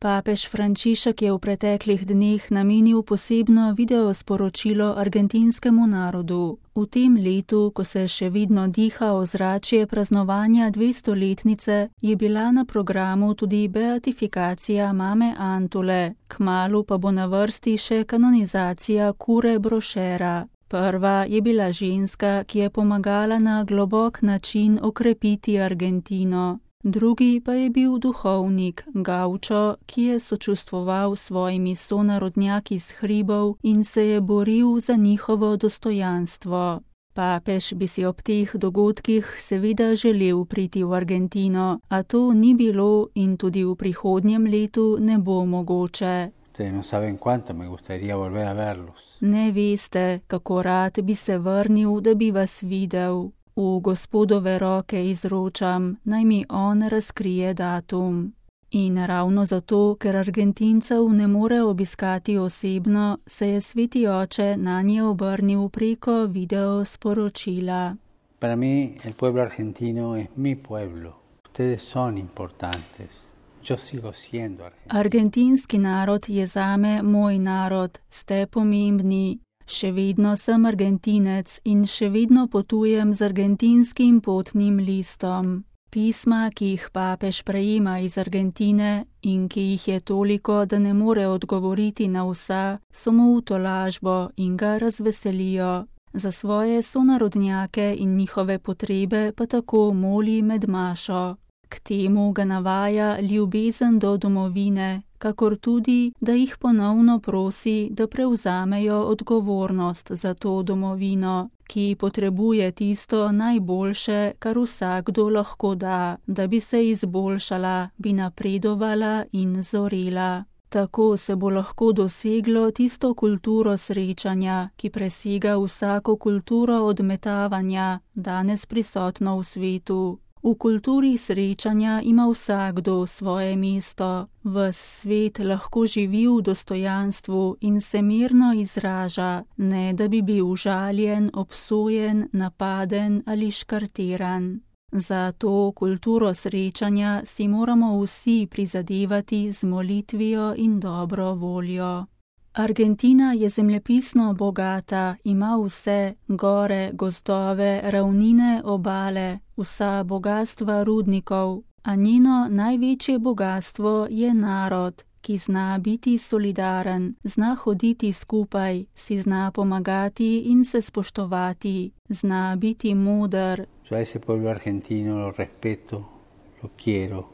Papež Frančišek je v preteklih dneh namenil posebno videosporočilo argentinskemu narodu. V tem letu, ko se še vedno diha ozračje praznovanja 200-letnice, je bila na programu tudi beatifikacija mame Antule, kmalu pa bo na vrsti še kanonizacija Kure Brošera. Prva je bila ženska, ki je pomagala na globok način okrepiti Argentino. Drugi pa je bil duhovnik, gaučo, ki je sočustvoval s svojimi sonarodnjaki s hribov in se je boril za njihovo dostojanstvo. Papež bi si ob teh dogodkih seveda želel priti v Argentino, a to ni bilo in tudi v prihodnjem letu ne bo mogoče. Ne veste, kako rad bi se vrnil, da bi vas videl. V Gospodove roke izročam, naj mi on razkrije datum. In ravno zato, ker Argentincev ne more obiskati osebno, se je sveti oče nanje obrnil preko videosporočila. Para mí el pueblo argentino es mi pueblo. Ustedes son importantes. Yo sigo siendo argentino. Argentinski narod je zame moj narod, ste pomembni. Še vedno sem Argentinec in še vedno potujem z argentinskim potnim listom. Pisma, ki jih papež prejema iz Argentine in ki jih je toliko, da ne more odgovoriti na vsa, so mu v tolažbo in ga razveselijo. Za svoje sonarodnjake in njihove potrebe pa tako moli med mašo. K temu ga navaja ljubezen do domovine, kakor tudi, da jih ponovno prosi, da prevzamejo odgovornost za to domovino, ki potrebuje tisto najboljše, kar vsakdo lahko da bi se izboljšala, bi napredovala in zorela. Tako se bo lahko doseglo tisto kulturo srečanja, ki presega vsako kulturo odmetavanja, danes prisotno v svetu. V kulturi srečanja ima vsakdo svoje mesto, ves svet lahko živi v dostojanstvu in se mirno izraža, ne da bi bil žaljen, obsojen, napaden ali škartiran. Za to kulturo srečanja si moramo vsi prizadevati z molitvijo in dobro voljo. Argentina je zemljepisno bogata, ima vse, gore, gozdove, ravnine, obale, vsa bogastva rudnikov, a njeno največje bogastvo je narod, ki zna biti solidaren, zna hoditi skupaj, si zna pomagati in se spoštovati, zna biti moder. Yo a ese pueblo argentino lo respeto, lo quiero.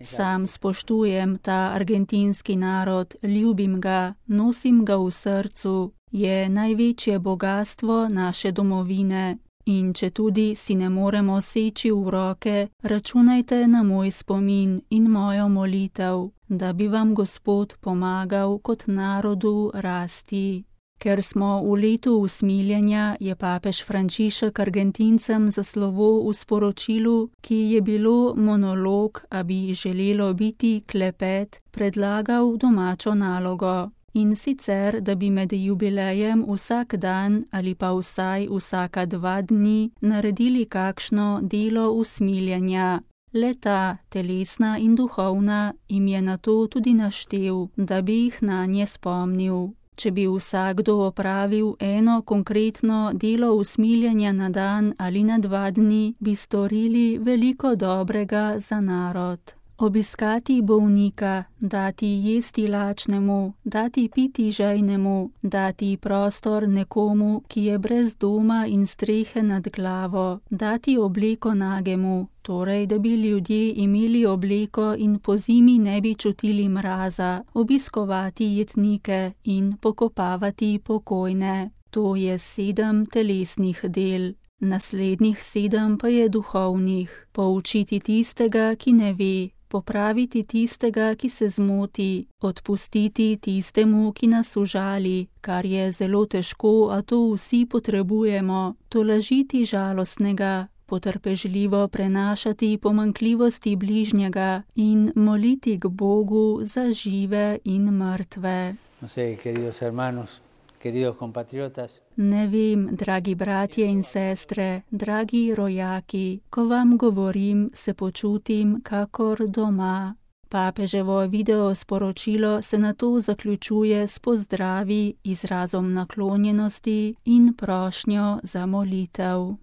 Sam spoštujem ta argentinski narod, ljubim ga, nosim ga v srcu, je največje bogastvo naše domovine. In če tudi si ne moremo seči v roke, računajte na moj spomin in mojo molitev, da bi vam Gospod pomagal kot narodu rasti. Ker smo v letu usmiljenja, je papež Frančišek Argentincem za slovo v sporočilu, ki je bilo monolog, a bi želelo biti klepet, predlagal domačo nalogo. In sicer, da bi med jubilejem vsak dan ali pa vsaj vsaka 2 dni naredili kakšno delo usmiljenja. Le-ta, telesna in duhovna, jim je na to tudi naštel, da bi jih nanje spomnil. Če bi vsakdo opravil eno konkretno delo usmiljenja na dan ali na 2 dni, bi storili veliko dobrega za narod. Obiskati bolnika, dati jesti lačnemu, dati piti žejnemu, dati prostor nekomu, ki je brez doma in strehe nad glavo, dati obleko nagemu, torej da bi ljudje imeli obleko in pozimi ne bi čutili mraza, obiskovati jetnike in pokopavati pokojne. To je 7 telesnih del. Naslednjih 7 pa je duhovnih. Poučiti tistega, ki ne ve, popraviti tistega, ki se zmoti, odpustiti tistemu, ki nas užali, kar je zelo težko, a to vsi potrebujemo, tolažiti žalostnega, potrpežljivo prenašati pomanjkljivosti bližnjega in moliti k Bogu za žive in mrtve. Ne vem, dragi bratje in sestre, dragi rojaki, ko vam govorim, se počutim kakor doma. Papeževo video sporočilo se nato zaključuje s pozdravi, izrazom naklonjenosti in prošnjo za molitev.